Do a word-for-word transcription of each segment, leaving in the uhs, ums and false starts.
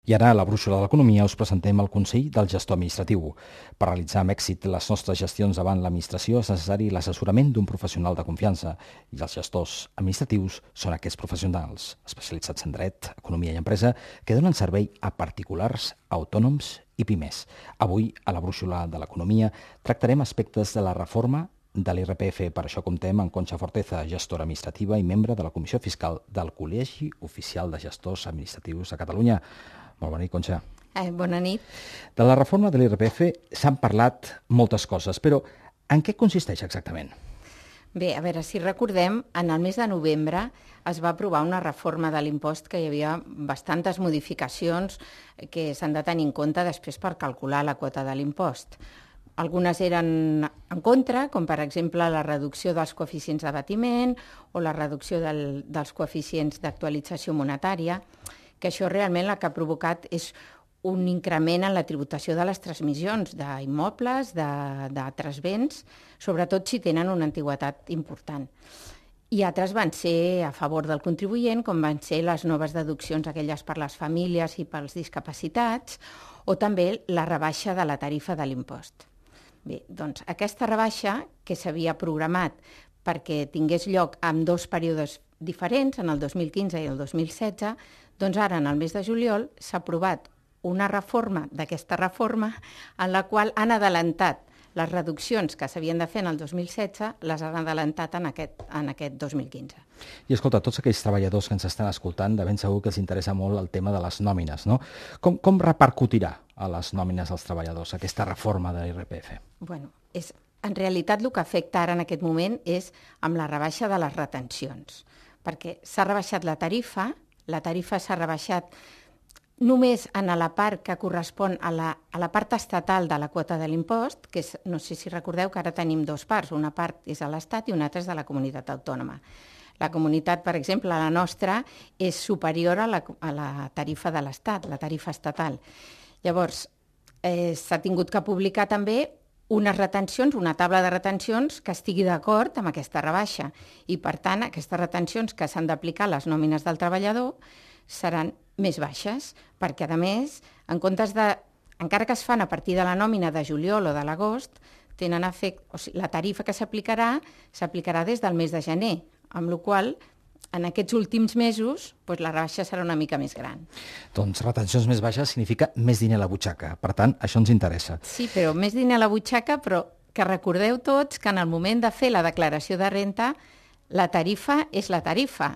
I ara, a la Brúixola de l'Economia, us presentem el Consell del Gestor Administratiu. Per realitzar amb èxit les nostres gestions davant l'administració és necessari l'assessorament d'un professional de confiança i els gestors administratius són aquests professionals, especialitzats en dret, economia i empresa, que donen servei a particulars, autònoms i pimes. Avui, a la Brúixola de l'Economia, tractarem aspectes de la reforma de l'I R P F. Per això comptem amb Conxa Forteza, gestora administrativa i membre de la Comissió Fiscal del Col·legi Oficial de Gestors Administratius de Catalunya. Molt bona nit, Conxa. Eh, bona nit. De la reforma de l'I R P F s'han parlat moltes coses, però en què consisteix exactament? Bé, a veure, si recordem, en el mes de novembre es va aprovar una reforma de l'impost que hi havia bastantes modificacions que s'han de tenir en compte després per calcular la quota de l'impost. Algunes eren en contra, com per exemple la reducció dels coeficients d'abatiment o la reducció del, dels coeficients d'actualització monetària, que això realment el que ha provocat és un increment en la tributació de les transmissions d'immobles, d'altres béns, sobretot si tenen una antiguitat important. I altres van ser a favor del contribuent, com van ser les noves deduccions, aquelles per les famílies i pels discapacitats, o també la rebaixa de la tarifa de l'impost. Bé, doncs aquesta rebaixa, que s'havia programat perquè tingués lloc en dos períodes diferents, en el dos mil quinze i el dos mil setze, doncs ara, en el mes de juliol, s'ha aprovat una reforma d'aquesta reforma en la qual han adelantat les reduccions que s'havien de fer en el dos mil setze, les han adelantat en aquest, en aquest dos mil quinze. I escolta, tots aquells treballadors que ens estan escoltant, de ben segur que els interessa molt el tema de les nòmines, no? Com, com repercutirà a les nòmines dels treballadors aquesta reforma de l'I R P F? Bueno, és, en realitat el que afecta ara en aquest moment és amb la rebaixa de les retencions, perquè s'ha rebaixat la tarifa, la tarifa s'ha rebaixat només en la part que correspon a la, a la part estatal de la quota de l'impost, que és, no sé si recordeu que ara tenim dues parts, una part és de l'Estat i una altra és de la comunitat autònoma. La comunitat, per exemple, la nostra, és superior a la, a la tarifa de l'Estat, la tarifa estatal. Llavors, eh, s'ha tingut que publicar també unes retencions, una taula de retencions que estigui d'acord amb aquesta rebaixa. I, per tant, aquestes retencions que s'han d'aplicar a les nòmines del treballador seran més baixes, perquè, a més, en comptes de, encara que es fan a partir de la nòmina de juliol o de l'agost, tenen efecte, o sigui, la tarifa que s'aplicarà s'aplicarà des del mes de gener, amb la qual cosa, en aquests últims mesos, doncs la rebaixa serà una mica més gran. Doncs retencions més baixes significa més diner a la butxaca. Per tant, això ens interessa. Sí, però més diner a la butxaca, però que recordeu tots que en el moment de fer la declaració de renda, la tarifa és la tarifa.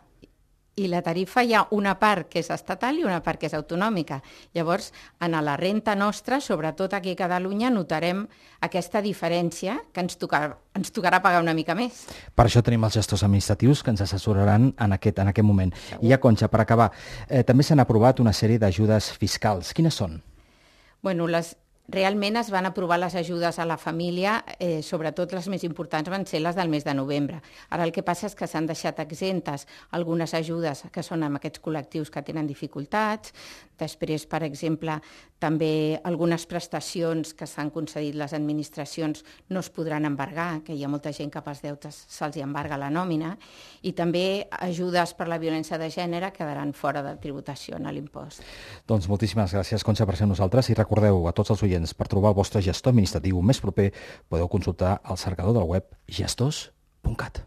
I la tarifa hi ha una part que és estatal i una part que és autonòmica. Llavors, en la renta nostra, sobretot aquí a Catalunya, notarem aquesta diferència que ens tocarà, ens tocarà pagar una mica més. Per això tenim els gestors administratius que ens assessoraran en aquest, en aquest moment. Segur. I ja, Conxa, per acabar, eh, també s'han aprovat una sèrie d'ajudes fiscals. Quines són? Bueno, les... Realment es van aprovar les ajudes a la família, eh, sobretot les més importants van ser les del mes de novembre. Ara el que passa és que s'han deixat exemptes algunes ajudes que són amb aquests col·lectius que tenen dificultats. Després, per exemple, també algunes prestacions que s'han concedit les administracions no es podran embargar, que hi ha molta gent que pels deutes se'ls embarga la nòmina, i també ajudes per la violència de gènere quedaran fora de tributació en l'impost. Doncs moltíssimes gràcies, Conxa, per ser amb nosaltres, i recordeu a tots els oients, per trobar el vostre gestor administratiu més proper podeu consultar el cercador del web gestors punt cat.